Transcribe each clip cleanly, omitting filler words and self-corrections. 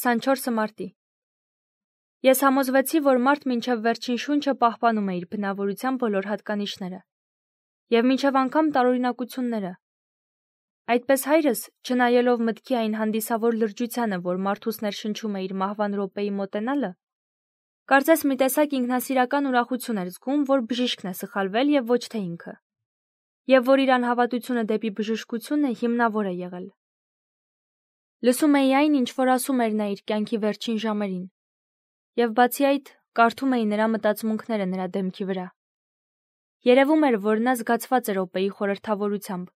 24 մարտի։ Ես համոզվեցի, որ մարդ մինչև վերջին շունչը պահպանում է իր բնավորության բոլոր հատկանիշները և մինչև անգամ տարօրինակությունները։ Այդպես հայրս, չնայելով մտքի այն հանդիսավոր լրջությանը, որ մարդուս ներշնչում է իր մահվան րոպեի մոտենալը, կարծես մի տեսակ ինքնասիրական ուրախություն էր զգում, որ բժիշկն է սխալվել և ոչ թե ինքը, և որ իր անհավատությունը դեպի բժշկությունը հիմնավոր է եղել։ Լսում էի այն, ինչ որ ասում էր նա իր կյանքի վերջին ժամերին, և բացի այդ, կարդում էի նրա մտածմունքները նրա դեմքի վրա։ Երևում էր, որ նա զգացված է րոպեի խորհրդավորությամբ։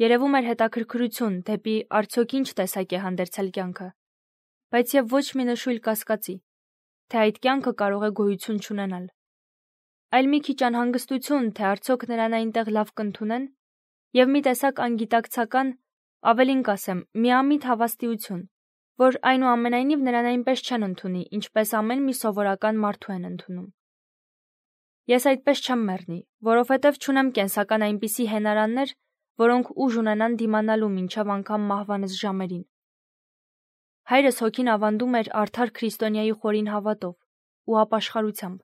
Երևում էր հետաքրքրություն դեպի արդյոք ինչ տեսակ է հանդերձել կյանքը, բայց և ոչ մի նշույլ կասկածի, թե այդ կյանքը կարող է գոյություն չունենալ։ Այլ մի քիչ անհանգստություն, թե արդյոք նրան այնտեղ լավ կընդունեն, և մի տեսակ անգիտակցական, ավելին կասեմ, միամիտ հավաստիություն, որ այնուամենայնիվ նրան այնպես չեն ընդունի, ինչպես ամեն մի սովորական մարդու են ընդունում։ Ես այդպես չեմ մեռնի, որովհետև չունեմ կենսական այնպիսի հենարաններ, որոնք ուժ ունենան դիմանալու մինչև անգամ մահվանս ժամերին։ Հայրս հոգին ավանդում էր արդար քրիստոնյայի խորին հավատով ու ապաշխարությամբ։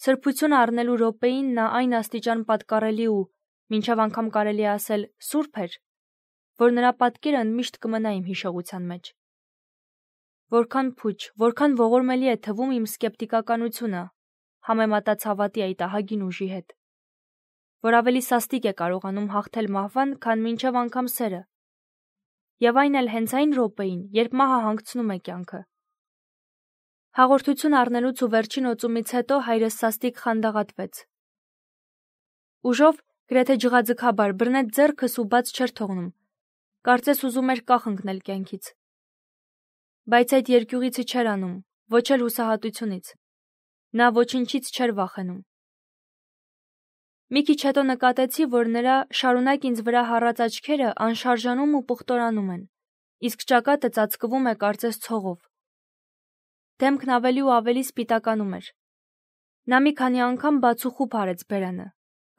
Սրբություն առնելու րոպեին նա այն աստիճան պատկառելի ու, մինչև անգամ կարելի է ասել, սուրբ էր, որ նրա պատկերը ընդմիշտ կմնա իմ հիշողության մեջ։ Որքան փուչ, որքան ողորմելի է թվում իմ սկեպտիկականությունը համեմատած հավատի այդ ահագին ուժի հետ, որ ավելի սաստիկ է կարողանում հաղթել մահվան, քան մինչև անգամ սերը, և այն էլ հենց այն րոպեին, երբ մահը հանգցնում է կյանքը։ Հաղորդություն առնելուց ու վերջին օծումից հետո հայրս սաստիկ խանդաղատվեց։ Ուժով, գրեթե ջղաձգաբար բռնեց ձեռքս ու բաց չէր թողնում, կարծես ուզում էր կախ ընկնել կյանքից։ Բայց այդ երկյուղիցը չէր անում, ոչ էլ հուսահատությունից։ Նա ոչնչից չէր վախենում։ Մի քիչ հետո նկատեցի, որ նրա շարունակ ինձ վրա հառած աչքերը անշարժանում ու պուխտորանում են, իսկ ճակատը ծածկվում է կարծես ցողով։ Դեմքն ավելի ու ավելի սպիտականում էր։ Նա մի քանի անգամ բացուխուփ արեց բերանը,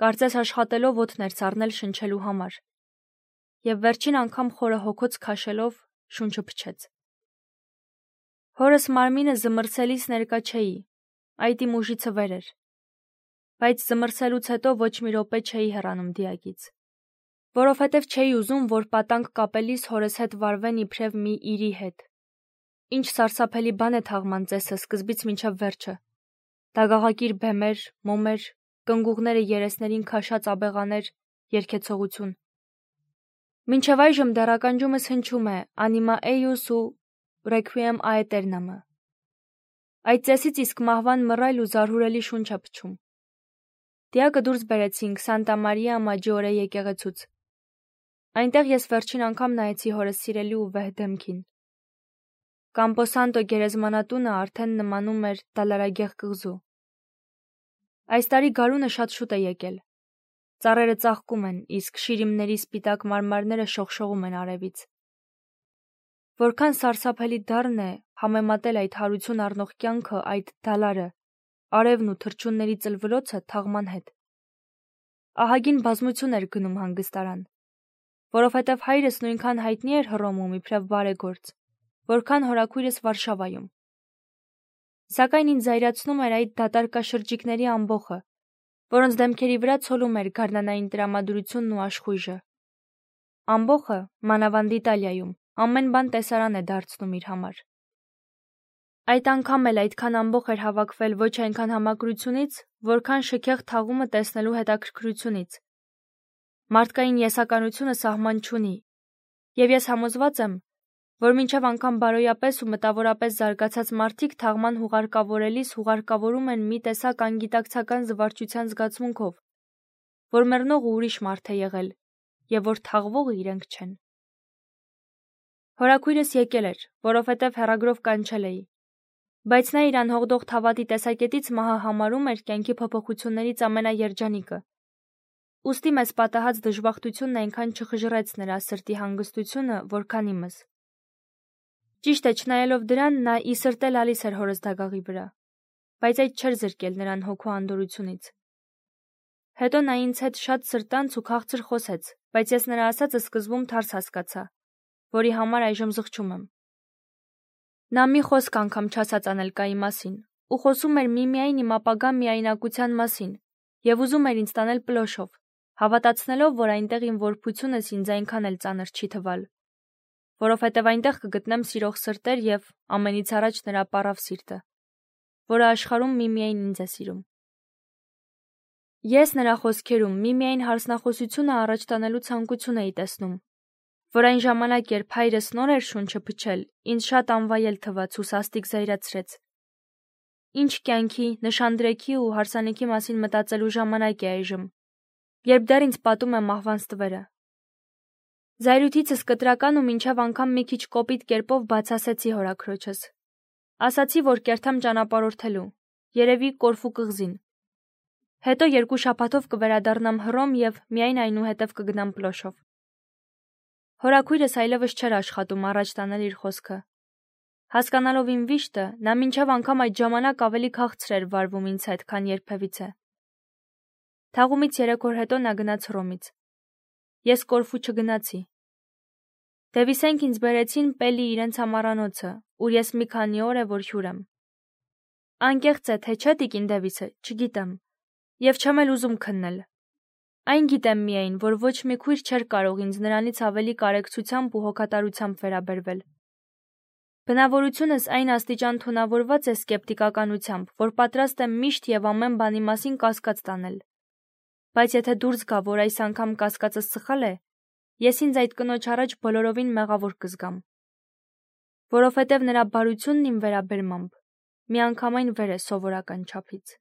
կարծես աշխատելով օդներ սառնել շնչելու համար, և վերջին անգամ խորը հոգոց քաշելով շունչը փչեց։ Հորս մարմինը զմռսելիս ներկա չէի, այդ իմ ուժիցը վեր էր, բայց զմռսելուց հետո ոչ մի րոպե չէի հեռանում դիակից, որովհետև չէի ուզում, որ պատանք կապելիս հորս հետ վարվեն իբրև մի իրի հետ։ Ինչ սարսափելի բան է թաղման ծեսը սկզբից մինչև վերջը։ Դագաղակիր բեմեր, մոմեր, կնգուղները երեսներին քաշած աբեղաներ, երգեցողություն։ Մինչև այժմ դեռ ականջումս հնչում է «Անիմա էյուս» ու «Ռեքվիեմ աետերնամը»։ Այդ ծեսից իսկ մահվան մռայլ ու զարհուրելի շունչ է փչում։ Դիակը դուրս բերեցինք Սանտա Մարիա Մաջիորե եկեղեցուց։ Այնտեղ ես վերջին անգամ նայեցի հորս սիրելի ու վեհ դեմքին։ Կամպոսանտո գերեզմանատունը արդեն նմանում էր դալարագեղ կղզու։ Այս տարի գարունը շատ շուտ է եկել։ Ծառերը ծաղկում են, իսկ շիրիմների սպիտակ մարմարները շողշողում են արևից։ Որքան սարսափելի դառն է համեմատել այդ հարություն առնող կյանքը այդ դալարը, արևն ու թռչունների ծլվլոցը թաղման հետ։ Ահագին բազմություն էր գնում հանգստարան, որովհետև հայրս նույնքան հայտնի էր Հռոմում իբրև բարեգործ, որքան հորաքույրս Վարշավայում։ Սակայն ինձ զայրացնում էր այդ դատարկաշրջիկների ամբոխը, որոնց դեմքերի վրա ցոլում էր գարնանային տրամադրությունն ու աշխույժը։ Ամբոխը, մանավանդ Իտալիայում, ամեն բան տեսարան է դարձնում իր համար։ Այդ անգամ էլ այդքան ամբոխ էր հավաքվել ոչ այնքան համակրությունից, որքան շքեղ թաղումը տեսնելու հետաքրքրությունից։ Մարդկային եսականությունը սահման չունի, և ես համոզված եմ, որ մինչև անգամ բարոյապես ու մտավորապես զարգացած մարդիկ թաղման հուղարկավորելիս հուղարկավորում են մի տեսակ անգիտակցական զվարճության զգացմունքով, որ մեռնողը ուրիշ մարդ է եղել, և որ թաղվողը իրենք չեն։ Հորաքույրս եկել էր, որովհետև հեռագրով կանչել էի, բայց նա իր անհողդող հավատի տեսակետից մահը համարում էր կյանքի փոփոխություններից ամենաերջանիկը։ Ուստի մեզ պատահած դժբախտությունն այնքան չխժռեց նրա սրտի հանգստությունը, որքան իմս։ Ճիշտ է, չնայելով դրան, նա ի սրտե լալիս էր հորս դագաղի վրա, բայց այդ չէր զրկել նրան հոգու անդորությունից։ Հետո նա ինձ հետ շատ սրտանց ու քաղցր խոսեց, բայց ես նրա ասածը սկզբում թարս հասկացա, որի համար այժմ զղջում եմ։ Նա մի խոսք անգամ չասաց Անելկայի մասին, ու խոսում էր միմիայն իմ ապագա միայնակության մասին, եւ ուզում էր ինձ տանել Պլոշով, հավատացնելով, որ այնտեղ իմ որբությունս ինձ այնքան էլ ծանր չի թվալ, որովհետև այնտեղ կգտնեմ սիրող սրտեր եւ ամենից առաջ նրա պարավ սիրտը, որը աշխարհում միմիայն ինձ է սիրում։ Ես նրա խոսքերում միմիայն հարսնախոսությունը առաջ տանելու ցանկություն էի տեսնում, որ այն ժամանակ, երբ հայրս նոր էր շունչը փչել, ինձ շատ անվայել թվաց ու սաստիկ զայրացրեց։ Ինչ կյանքի, նշանդրեքի ու հարսանիքի մասին մտածելու ժամանակ է այժմ, երբ դեռ ինձ պատում է մահվան ստվերը։ Զայրույթիցս կտրական ու մինչև անգամ մի քիչ կոպիտ կերպով բացասեցի հորաքրոջս։ Ասացի, որ կերթամ ճանապարհորդելու, երևի Կորֆու կղզին։ Հետո 2 շաբաթով կվերադառնամ Հռոմ եւ միայն այնուհետև կգնամ Պլոշով։ Հորաքույրս այլևս չէր աշխատում առաջ տանել իր խոսքը։ Հասկանալով իմ վիշտը, նա մինչև անգամ այդ ժամանակ ավելի քաղցր էր վարվում ինձ հետ, քան երբևիցե։ Թաղումից 3 օր հետո նա գնաց Հռոմից։ Ես Կորֆու չգնացի։ Դևիսենք ինձ բերեցին Պելի իրենց համառանոցը, ուր ես մի քանի օր է որ հյուր եմ։ Անկեղծ է, թե չէ տիկին Դևիսը, չգիտեմ, եւ չեմ էլ ուզում քննել։ Այն գիտեմ միայն, որ ոչ մի քույր չէր կարող ինձ նրանից ավելի կարեկցությամբ ու հոգատարությամբ վերաբերվել։ Բնավորությունս այն աստիճան թունավորված է սկեպտիկականությամբ, որ պատրաստ եմ միշտ եւ ամեն բանի մասին կասկած տանել։ Բայց եթե դուրս գա, որ այս անգամ կասկածս սխալ է, ես ինձ այդ կնոջ առաջ բոլորովին մեղավոր կզգամ, որովհետև նրա բարությունն իմ վերաբերմամբ միանգամայն վեր է սովորական չափից։